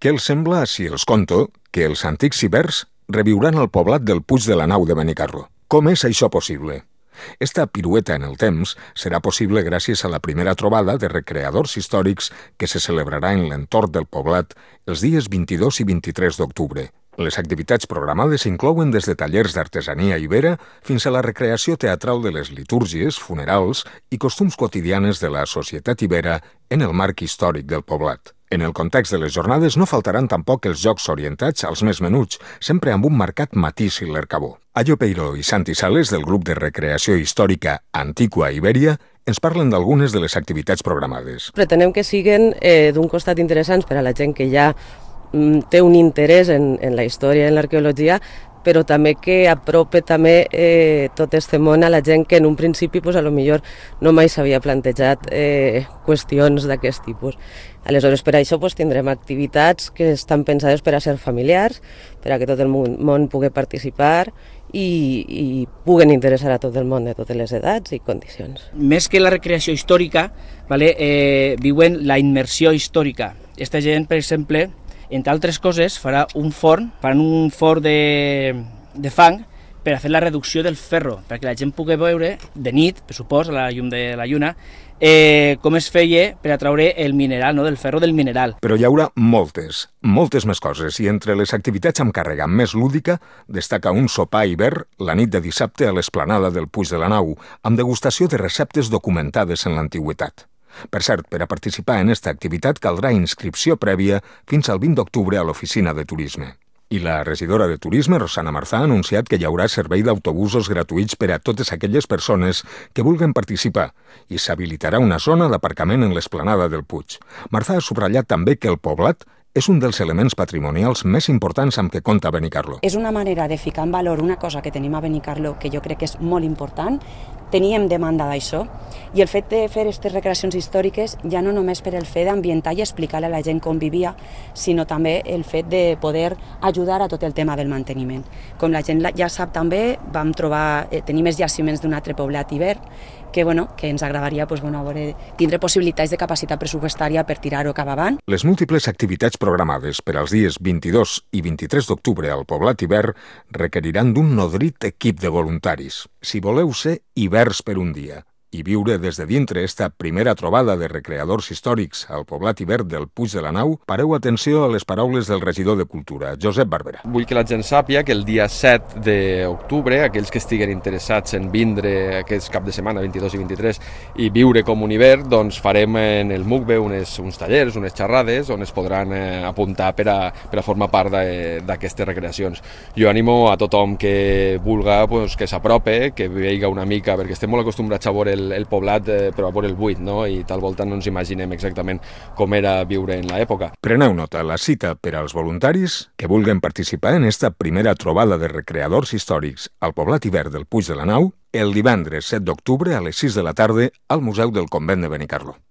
Què els sembla si els conto que els antics ibers reviuran el poblat del Puig de la Nau de Benicarló? Com és això possible? Esta pirueta en el temps serà possible gràcies a la primera trobada de recreadors històrics que se celebrarà en l'entorn del poblat els dies 22 i 23 d'octubre. Les activitats programades inclouen des de tallers d'artesania ibera fins a la recreació teatral de les litúrgies, funerals i costums quotidianes de la societat ibera en el marc històric del poblat. En el context de les jornades no faltaran tampoc els jocs orientats als més menuts, sempre amb un marcat matís i l'ercabó. Ayo Peiro i Santi Sales, del grup de recreació històrica Antigua Ibèria, ens parlen d'algunes de les activitats programades. Pretenem que siguen d'un costat interessants per a la gent que ja té un interès en la història i en l'arqueologia, però també que aprope també tot este món a la gent que en un principi a lo millor no mai s'havia plantejat qüestions d'aquest tipus. Aleshores, per això tindrem activitats que estan pensades per a ser familiars, per a que tot el món pugui participar i puguen interessar a tot el món de totes les edats i condicions. Més que la recreació històrica, viuen la immersió històrica. Esta gent, per exemple, entre altres coses, faran un forn de fang per a fer la reducció del ferro, perquè la gent pugui veure de nit, per supòs, a la llum de la lluna, com es feia per a treure el mineral, del ferro del mineral. Però hi haurà moltes més coses, i entre les activitats amb càrrega més lúdica destaca un sopar hivern la nit de dissabte a l'esplanada del Puig de la Nau, amb degustació de receptes documentades en l'antiguitat. Per cert, per a participar en esta activitat caldrà inscripció prèvia fins al 20 d'octubre a l'oficina de turisme. I la regidora de Turisme, Rosana Marzà, ha anunciat que hi haurà servei d'autobusos gratuïts per a totes aquelles persones que vulguen participar i s'habilitarà una zona d'aparcament en l'esplanada del Puig. Marzà ha subratllat també que el poblat és un dels elements patrimonials més importants amb què compta Benicarló. És una manera de ficar en valor una cosa que tenim a Benicarló que jo crec que és molt important. Teníem demanda d'això i el fet de fer aquestes recreacions històriques ja no només per el fet d'ambientar i explicar a la gent com vivia, sinó també el fet de poder ajudar a tot el tema del manteniment. Com la gent ja sap també, vam trobar, tenim els jaciments d'un altre poblat hivern que ens agradaria tindre possibilitats de capacitat pressupostària per tirar-ho cap avant. Les múltiples activitats programades per als dies 22 i 23 d'octubre al poblat hivern requeriran d'un nodrit equip de voluntaris. Si voleu ser hiverns per un dia i viure des de dintre esta primera trobada de recreadors històrics al poblat hivern del Puig de la Nau, pareu atenció a les paraules del regidor de Cultura, Josep Barberà. Vull que la gent sàpia que el dia 7 d'octubre, aquells que estiguen interessats en vindre aquest cap de setmana, 22 i 23, i viure com un hivern, doncs farem en el MUCBE uns tallers, unes xerrades, on es podran apuntar per a formar part d'aquestes recreacions. Jo animo a tothom que vulga que s'aprope, que veiga una mica, perquè estem molt acostumbrats a veure el poblat, però a veure el buit, i tal volta no ens imaginem exactament com era viure en l'època. Preneu nota, la cita per als voluntaris que vulguen participar en esta primera trobada de recreadors històrics al poblat hivern del Puig de la Nau el divendres 7 d'octubre a les 6 de la tarda al Museu del Convent de Benicarló.